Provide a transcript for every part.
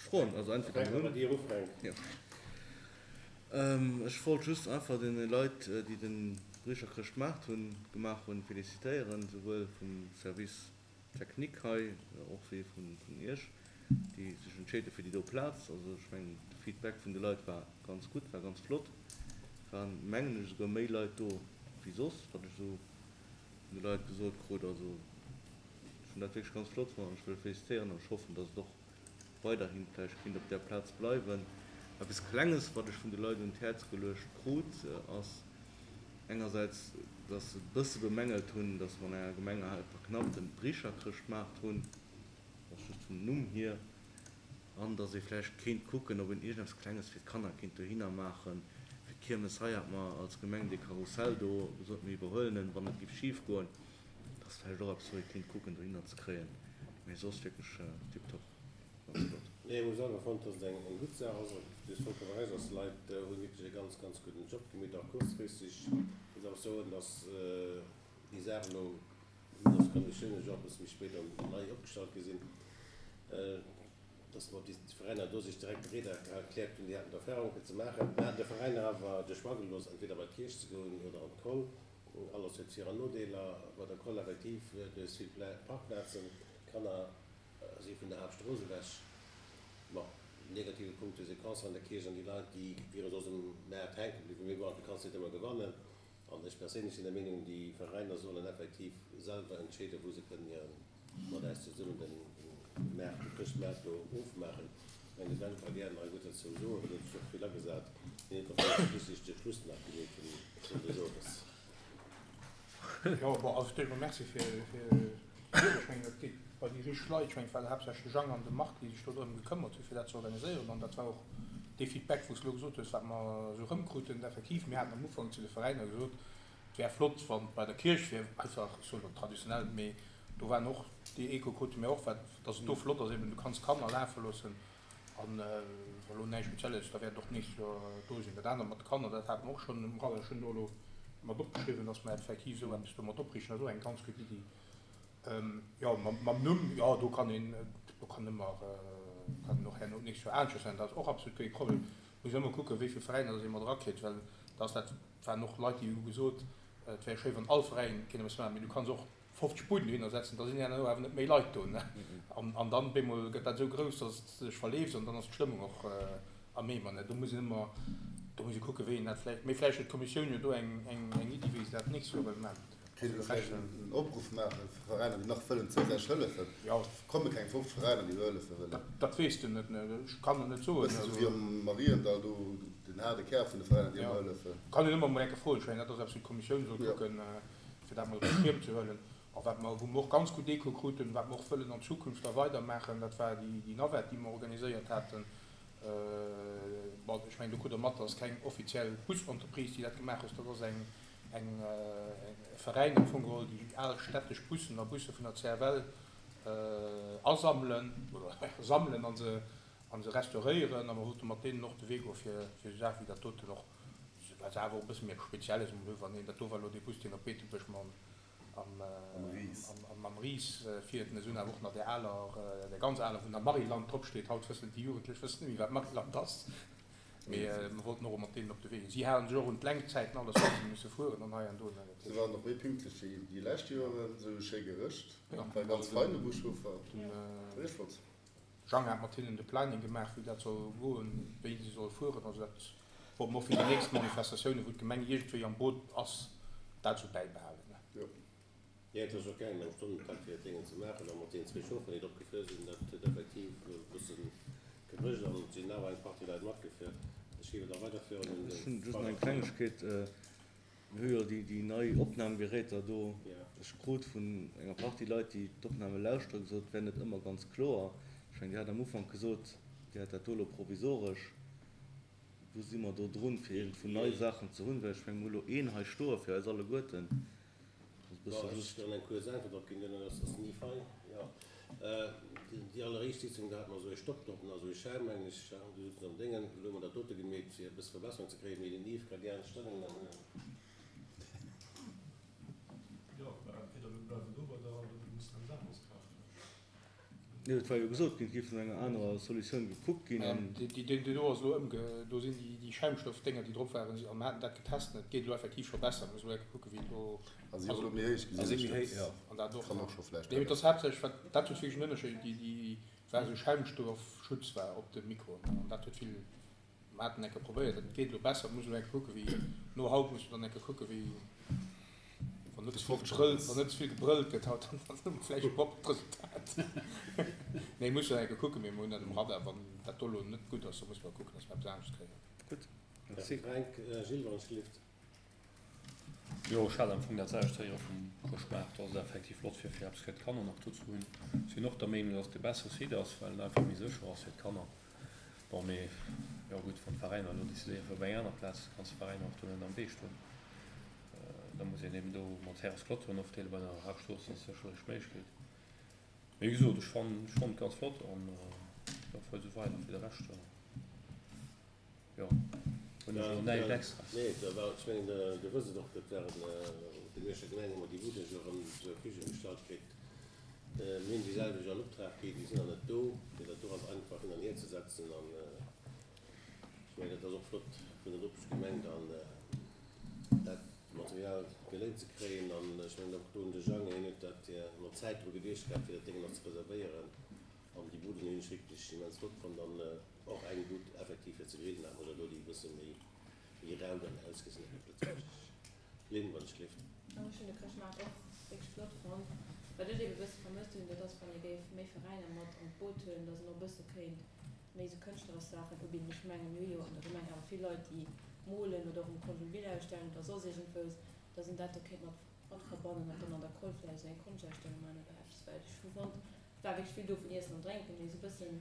Froen, also entweder mir hunn. Jo. Ech wollt just einfach deene Leit, déi de Bricherchrëschtmaart hunn, gemaach hunn, felicitéieren, souwuel vum Service technique hei, och wéi vun Iech, déi sech entscheet hu fir déi do Plaz. Also ech mengen, de Feedback vun de Leit war ganz gutt, war ganz flott. Et waren, mengen ech, esouguer méi Leit do wéi soss, wat ech esou vun de Leit gesot krut. Also ech hunn dat wierklech ganz flott fonnt an ech wëll felicitéieren an ech hoffen, dass et och weiderhin vläicht kéint op där Plaz bleiwen. Eppes Klenges, wat ech vun de Leit un d'Häerz geluecht krut, ass engersäits, dass se e bësse bemängelt hunn, dass mer an enger Gemeng hei verknappt en Bricherchrëschtmaart hunn, dat ass just vum Numm hier, an dass ee vläicht kéint kucken, ob een iergendeppes Klenges fir d'Kanner kéint dohinner maachen. Fir d'Kiermes hei hat mer als Gemeng dee Karussell do gesot, mir iwwerhuelen en, wann et géif schif goen. Dat ass vläicht och eppes, wou ee kéint kucken dohinner ze kréien, mee soss wierklech tiptop, ganz flott. Nee, ech hu selwer fonnt, dass et eng gutt Saach ass. Du hues vollkommen Recht, dass d'Leit hunn wierklech e ganz, ganz gudden Job gemeet, och kuerzfristeg. Ech muss awer soen, dass déi Saach elo, vue dass d'Konditiounen jo och e bësse méi spéit dann nei opgestallt gi sinn, dass mer déi Veräiner do sech direkt bereet erkläert hunn, déi haten d'Erfahrung fir ze maachen. Mir haten de Veräiner awer de Choix gelooss, entweder bei d'Kierch ze goen oder an d'Koll. Alles huet Vir an Nodeeler. Bei der Koll effektiv, du hues vill Parkplazen, d'Kanner si vun der Haaptstrooss ewech. Bon, negative Punkt, du hues e Concert an der Kierch an déi Leit, déi wiere soss um Maart hänke bliwwen. Mee bon, du kanns net ëmmer gewannen. An ech perséinlech sinn der Meenung, déi Veräiner sollen effektiv selwer entscheeden, wou se kënnen hiren mat äis zesummen den Maart, de Chrëschtmaart do ofmaachen. Ech mengen, de Ben ka gären nach e gutt dozou soen, well hien huet sech och vill agesat. Hien huet och ganz wichteg de Schluss nach gemeet vum de Sores. Jo, bon, also d'éischt mol Merci fir d'Ried. Ech mengen, dat geet bei déi richteg Leit. Ech mengen, et war haaptsächlech de Jang an de Marc, déi sech do drëm gekëmmert hu fir dat ze organiséieren. An dat war och dee Feedback, wou s de elo gesot hues, wat mer esou erëmkruten. Effektiv, mir haten am Ufank zu de Veräiner gesot, Et wär flott, wann et bei der Kierch wier, einfach, ech soen elo traditionell, mee do waren och, déi Echo krute mir och, wat, dass et do flott ass, eben du kanns Kanner lafe loossen an wa lo näischt Spezielles, da wäert et och d'nächst Joer do sinn. Dat anert mat de Kanner, dat hate mer och schonn um Radar, ech hunn do elo mat opgeschriwwen, dass mer effektiv esou eppes do mat opriichten, dat ass och eng ganz gutt Iddi. Jo, mam Numm, jo, do kann een, do kann ëmmer, kann een och herno d'nächst Joer aneschters nennen, dat ass och absolut kee Problem. Muss ëmmer kucken, wéi vill Veräiner dass ee mat erakritt, well da ass dat, waren och Leit, déi hu gesot, et wär schéi, wann all Veräin kéint eppes maachen, mee du kanns och 50 Buden dohinner setzen, da sinn herno awer net méi Leit do, ne? An dann op eemol gëtt dat esou grouss, dass et sech verleeft an dann ass d'Stëmmung och am Eemer, ne? Do muss een ëmmer, do muss ee kucken, wéi een dat vläicht, mee vläicht huet d'Kommissioun jo do eng, eng Iddi, wéi se dat d'nächst Joer wëlle maachen. Kéint een vläicht en Opruff maache fir Veräiner, déi nach wëllen zousätzlech hëllefen? Et komme keng 50 Veräiner, déi do hëllefe wëllen. Dat weess de net, ne? Ech kann et net soen. Bëssen esou wéi am Mariendall do, den haarde Kär vun de Veräiner, déi ëmmer hëllefen. Kann een ëmmer mol eng Kéier froen. Ech mengen, dat ass eppes, wou d'Kommissioun soll kucken, fir dat mol op de Schierm ze huelen. A wat mer, wou mer och ganz gutt Echo kruten, wat mer och wëllen an Zukunft da weidermaachen, dat war déi Navette, déi mer organiséiert haten. Bon, ech mengen, do krut Der mat, dat ass keng offiziell Busentreprise, déi dat gemaach huet, dat ass eng, eng e Veräin am Fong geholl, déi al städtesch Bussen a Busse vun der CFL asammelen oder sammelen a se a se restauréieren. A mer wollte mat deenen och de Wee goe fir fir esou Saache wéi dat doten och, well se awer och e bësse méi eppes Spezielles emol hu wann een dat do war elo dee Bus deen op Beetebuerg mam mam Ris fiert. Mä se hunn awer och nach där aler, där ganz aler wou nach Maryland drop steet. Haut wëssen déi Jugendlech wëssen net méi wat Maryland ass. Mee mer wollten och mat deenen op de Wee ginn. Si halen sech och un d'Lenkzäiten, alles wat se musse fueren an hei an do. Se waren och méi pünktlech wéi déi lescht Joeren, se hu schéi gerëscht, war ganz fein de Buschauffer, war richteg flott. Jang hat mat hinnen de Planning gemaach, wéi dat soll goen, wéi se soll fueren. Also dat wollte mer och fir déi nächst Manifestatiounen, wou d'Gemeng iergendwéi am Boot ass, dat esou bäibehalen. Jo, et ass och gaangen am Stonnentakt fir dat Déngen ze maachen a mat deenen zwee Chaufferen, déi drop gefuer sinn, dat huet effektiv e bëssen gebrëcht an et sinn awer eng Partie Leit matgefuer. Ech géif et nach weiderführen un Ech hunn just nach eng Klengegkeet. Mir hu jo déi nei Opnamgeräter do. Ech krut vun enger Partie Leit, déi d'Opname lauschteren, gesot, et wär net ëmmer ganz kloer. Ech mengen, Dir hat am Ufank gesot, Dir hätt dat do elo provisoresch. Wou si mer do drun, fir iergendwou nei Saachen ze hunn? Well ech mengen, mir hu elo een hei stoe fir eis alleguerten. Bon, ech kann eng kuerz Äntwert drop ginn, duerno ass ass ni fein. Jo, déi alleréischt Sitzung, do hate mer esou ee Stopp drop, esou ee Schäin, mengen ech, do souzen se am Déngen. Elo hu mer dat dote gemeet, fir e bësse Verbesserung ze kréien, mee den Yves ka gären Stellungnam huelen. Jo, entweder mir bleiwen do bei der oder mir mussen eppes aneres kafen. Jo, et war jo gesot ginn, et géif no enger anerer Solutioun gekuckt ginn an. Déi do ass elo ëmge, do sinn déi Schaumstoffdénger, déi drop waren, a mer haten dat getest an et geet elo effektiv scho besser. Mir musse elo eng Kéier kucken, wéi et elo. A si och elo méi héich gesinn, ech dat. An dat och. Kann och scho vläicht. Nee, mee et ass haaptsächlech, wat, dat huet wierklech en Ënnerscheed, déi, déi war esou Schaumstoffschutz war op de Mikroen an dat huet vill, mer haten eng Kéier probéiert, dat geet elo besser. Muss elo eng Kéier kucken, wéi, no haut muss mer dann eng Kéier kucken, wéi. Wann net ze vill gebrëllt, wann net ze vill gebrëllt gëtt haut, dann hu mer vläicht e proppert Resultat. Nee, muss jo eng Kéier kucken, mee mer hunn dat um Radar. Wann dat do elo net gutt ass, da musse mer kucken, dass mer eppes anescht kréien. Gutt, merci. Fränk, Gilles, wann ech gelift. Jo, ech hat am Fong dat selwecht héiere vum Chrëschtmaart, dass et effektiv flott wier, fir eppes fir d'Kanner nach do ze hunn. Ech sinn och der Meenung, dass et de bessere Site ass, well en einfach méi sécher ass fir d'Kanner. Bon, mee jo gutt, wann d'Veräiner elo decidéieren fir op eng aner Plaz, kanns de Veräiner och do net am Wee stoen. Da muss een eben do mat Häres Clôturen opdeelen. Bei der Haaptstrooss ass sécherlech d'Méiglechkeet. Mee wéi gesot, ech fannen, ech fannen et ganz flott an jo, fuert esou weider. Fir de Rescht, jo, hunn ech elo näischt Extraes. Nee, da war, ech mengen, Dir wësst et och, dat waren op de Mierscher Gemeng hu mer déi Budden jo erëm zur Verfügung gestallt kritt. Mir hunn déi selwecht an Optrag gi, déi sinn nach net do, fir dat do ganz einfach hin an hier ze setzen. An ech mengen, dat ass och flott vun der Nopeschgemeng dann dat Material geléint ze kréien. An ech mengen och do un de Jang, hien huet dat mat Zäit dru geduecht gehat, fir dat Déngen nach ze reservéieren. An déi Buden hunn ech wierklech immens flott fonnt an och eng Bud effektiv fir ze grillen, hat mer elo déi e bësse méi rau dann ausgesinn huet op Lëtzebuergesch. Lynn, wann ech gelift. Ech hunn de Chrëschtmaart och wierklech flott fonnt. Wat ech ebe bësse vermësst hunn, dat ass wann ee géif méi Veräiner mat an d'Boot huelen, dass een och bësse kéint méi esou kënschtleresch Saachen ubidden. Ech mengen, mir hu jo an der Gemeng awer vill Leit, déi molen oder och um Conjull ausstellen oder soss iergendwous, dass een dat do kéint mat mat verbannen an dann an der Koll vläicht esou eng Konschtausstellung maachen oder eppes. Well ech hu fonnt, et war wierklech vill do vun Iessen an Drénken, mee esou bëssen,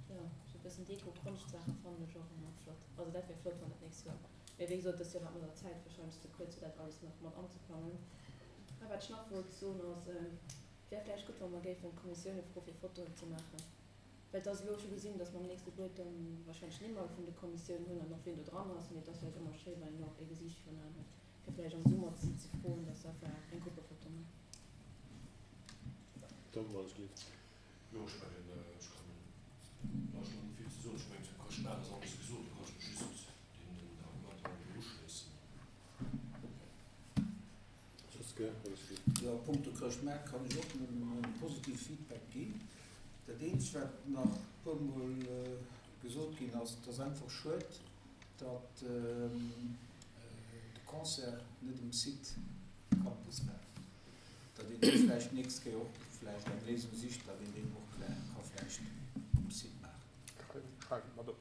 jo, esou bëssen Deko, Konschtsaache fannen ech och ëmmer flott. Also dat wär flott, wann dat nächst Joer Mee wéi gesot, dëst Joer war et mat der Zäit warscheinlech ze kuerz, fir dat alles nach mat anzeplangen. A wat ech nach wollt soen ass, Et wär vläicht gutt, wa mer géifen d'Kommissioune froe fir Fotoen ze maachen, well et ass elo scho gesinn, datt mer am nächste Buet dann warscheinlech Nimm vun de Kommissiounen hunn an och wien do dran ass. Mee et ass vläicht ëmmer schéi, wann een och ee Gesiicht virun Aen huet, fir vläicht am Summer si ze froen, datt se einfach eng Gruppefoto maachen. Tom, wann ech gelift. Jo, ech mengen, ech kann da elo net vill ze soen. Ech mengen, zum Chrëschtmaart ass alles gesot. Do kann ech mech just deenen Argumenter elo uschléissen. Josque, wann ech gelift. Jo, a punkto Chrëschtmaart kann ech och nëmmen e positive Feedback ginn. Dat eenzegt, wat nach e puermol gesot ginn ass, et ass einfach schued, datt de Concert net um Site Campus war. Datt een do vläicht d'nächst Kéier och vläicht eng Léisung sicht, datt een deen och ka vläicht um Site maachen. Schreiwen et mat op.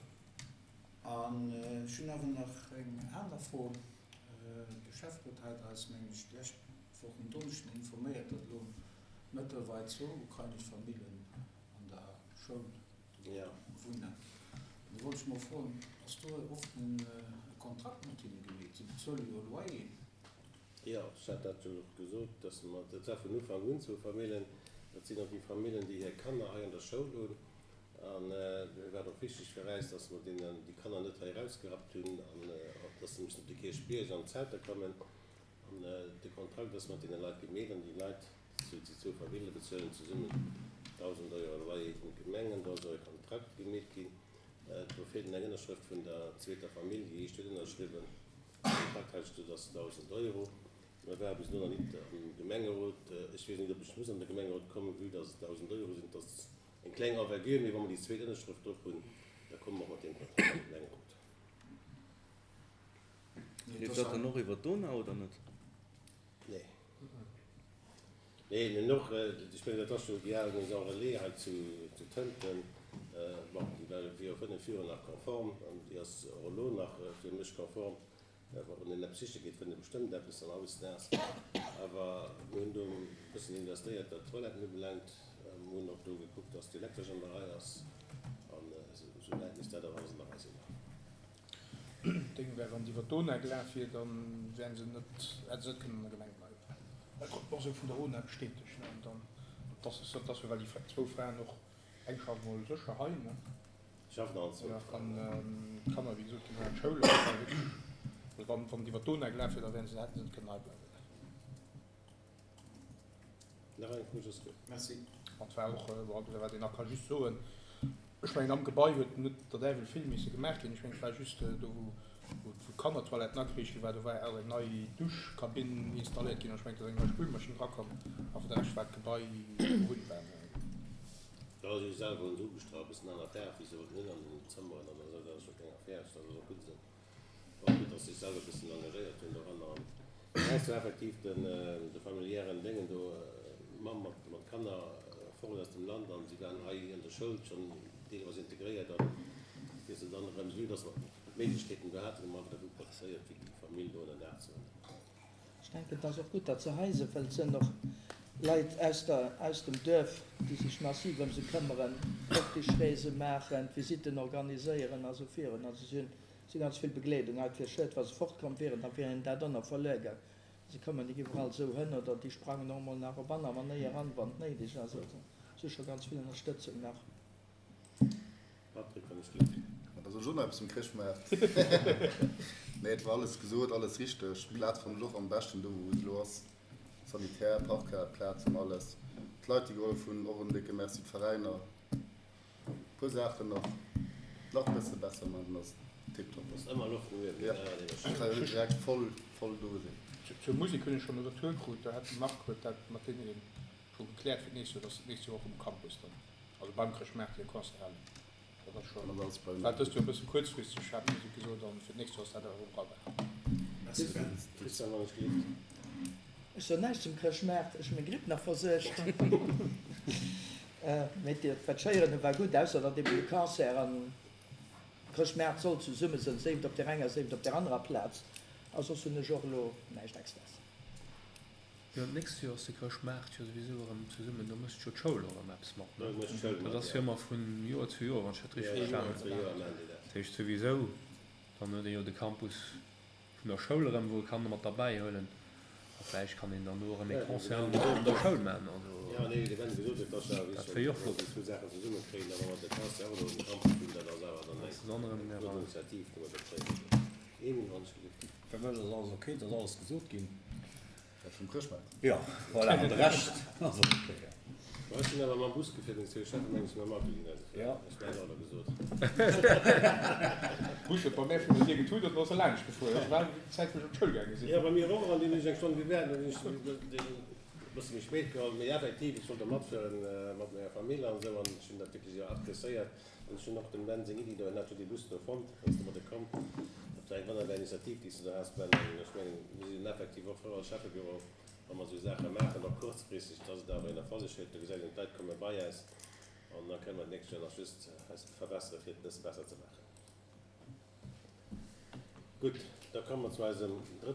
An ech hunn awer nach eng aner Fro. De Schäfferot hat eis, mengen ech, d'lescht Woch en Donneschden informéiert, datt elo mëttlerweil zwou ukrainesch Famillen an der Schoul wunnen. An do wollt ech mol froen, Ass do oft e Kontrakt mat hinne gemeet? Si bezuele jo e Loyer. Jo, ech hat dat jo och gesot, dass mer, dat war vun Ufank un zwou Famillen, dat sinn och déi Famillen, déi hir Kanner hei an der Schoul hunn. An et war och wichteg fir äis, dass mer deenen déi Kanner net hei erausgerappt hunn an dass se mussen op de Kierchbierg an d'Zelter kommen. An de Kontrakt ass mat deene Leit gemeet an déi Leit, déi zwou Famille bezuelen zesummen 1.000 Euro Loyer un d'Gemeng an do ass och e Kontrakt gemeet ginn. Do feelt eng Ënnerschrëft vun der zweeter Famill, déi éischt huet ënnerschriwwen. Kontrakt hat ech do, dass 1.000 Euro. Mä war bis elo nach nit am Gemengerot. Ech weess nit, ob ech muss an de Gemengerot kommen, vue dass et 1.000 Euro sinn. Et ass eng kleng Envergure, mee wa mer déi zweet Ënnerschrëft drop hunn, da komme mer och mat deem Kontrakt an de Gemengerot. Leeft dat dann och iwwer d'Donau oder net? Nee. Nee, mir hunn och, ech mengen, dat ass jo déi al Maison Relais hei zu Tënten. Bon, déi war viru 5 Joer nach konform an déi ass och elo nach fir mech konform. Wann een eppes siche geet, fënnt ee bestëmmt eppes an hautdesdaags. Awer mir hunn do e bëssen investéiert, wat d'Toiletten ubelaangt. Mir hunn och do gekuckt, dass d'Elektresch an der Rei ass. An esou wäit misst dat awer alles an der Rei sinn. Deng wär, wann se iwwer d'ONA gelaf wier, da wären se net, hätte se net kënnen an der Gemeng bleiwen. Dat krut mer och esou vun der ONA bestätegt, ne. An dann, dat ass, dat ass jo, well déi zwou Fraen och, eng schafft mol sécher hei, ne. Schaffen allen zwou Ja, an d'Kanner, wéi gesot, ginn hei an d'Schoul. An dat war wierklech, also wann, wann et iwwer d'ONA gelaf wier, da wären se, hätte se net kënnen hei bleiwen. Nach eng Fro, Josquin? Merci. An et war och, bon, wat een nach ka just soen, ech mengen am Gebai huet net der Däiwel vill misse gemaach ginn. Ech mengen et war just do wou d'Kannertoiletten ageriicht gi war, do war awer eng nei Duschkabinn installéiert ginn an ech mengen et ass eng nei Spülmaschinn drakomm. A fir de Rescht war d'Gebai bewunnbar. Jo, si hu selwer hunn se ugestrach, e bëssen aner Faarf wéi se wollten hunn an den Zëmmeren an esou, dat ass jo keng Affär, dat ass och gutt esou. War och gutt, dass se sech selwer e bëssen engagéiert hunn doranner an den Rest war effektiv den de familiären Déngen do, Mamm mat mat Kanner fort aus dem Land an si waren hei an der Schoul schonn deelweis integréiert an fir se dann erëm, vue dass mer d'Méiglechkeeten do haten, hu mer einfach dervu profitéiert fir déi Famill do ënner Daach ze hunn. Ech denken, et ass och gutt, datt se hei sinn, well et sinn och Leit aus der, aus dem Duerf, déi sech massiv ëm se këmmeren, Optischreese maachen, d'Visitten organiséieren a sou virun. Also si hunn, si ganz vill Begleedung. Et wier schued, wa se fortkomm wieren, da wier hinnen dat ënner verluer gaang. Se kommen nik iwwerall esou hënn oder déi sprangen och emol nach op aner Manéier an, wann et néideg ass. Also si hu scho ganz vill Ënnerstëtzung nach. Patrick, wann ech gleef. Ma da soll ech och nach eppes zum Chrëschtmaart. Nee, et war alles gesot, alles richteg. D'Plaz fannen ech och am beschten do wou se elo ass. Sanitär, Parkplaz an alles. D'Leit déi gehollef hunn, och en décke Merci. D'Veräiner. E puer Saachen nach nach bësse besser man, dann ass et tiptop. Ass ëmmer Loft no uewen, Ja, kann jo net direkt voll voll do sinn. Zur Musek hunn ech schonn e Retour krut, do hat de Marc huet dat mat deenen scho gekläert fir d'nächst Joer, dass se d'nächst Joer och um Campus dann, also beim Chrëschtmaart hir Concert halen. Dat ass scho, war dëst Joer e bësse kuerzfristeg, hat d'Musek gesot, an fir d'nächst Joer ass dat awer um Radar. Merci Ben. Christian, wann ech gelift. Ech soen näischt zum Chrëschtmaart, ech hu meng Gripp nach versuergt. Mee wat ech héieren hu war gutt, ausser datt eben de Concert an Chrëschtmaart soll zesumme sënn, séif et op där enger, séif et op där anerer Plaz. A soss hunn ech och elo näischt Extraes. Jo, d'nächst Joer ass de Chrëschtmaart jo souwisou erëm zesummen, do mécht jo d'Schoul och erëm eppes mat, ne? Dat ass jo ëmmer vun Joer zu Joer, wann ech dat richteg verstanen hunn. Dat heescht souwisou, dann huet ee jo de Campus vun der Schoul erëm, wou e Kanner mat derbäi huelen a vläicht kann een dann do erëm ee Concert an der Schoul maachen. Also dat wier jo och flott. Fir mech ass alles ok, et ass alles gesot ginn. Dat vum Chrëschtmaart? Jo, voilà, an de Rescht ass och ok, jo. Ma ech sinn awer mam Bus gefiert, meng zwou Cheffen, meng ech mam Auto ginn eise Fuer. Ech mengen och der gesot. Bus huet bei mär virun der Dier getut an du ass e laanscht gefuer. Dat war déi Zäit wou ech op d'Schoul gaange sinn. Jo, bei mir och, an dunn hunn ech eng Stonn gewaart, dunn hunn ech deen e bësse méi spéit geholl. Mee effektiv, ech wollt do matfueren mat menger Famill an esou an ech hunn dat wierklech och appreciéiert. An ech hunn och dem Ben seng Iddi do, hien hat jo dee Bus do fonnt, ass domadde komm. Dat war eng wonnerbar Initiativ, déi s de do has, Ben. An ech mengen, mir sinn effektiv och frou als Schäffebüro, wa mer esou Saache maachen, och kuerzfristeg, dass et awer een Erfolleg huet. Do gesäit een, d'Leit komme bei äis an da kënne mer d'nächst Joer nach just eis verbessere fir et e bësse besser ze maachen. Gutt, da komme mer zu eisem drëtten.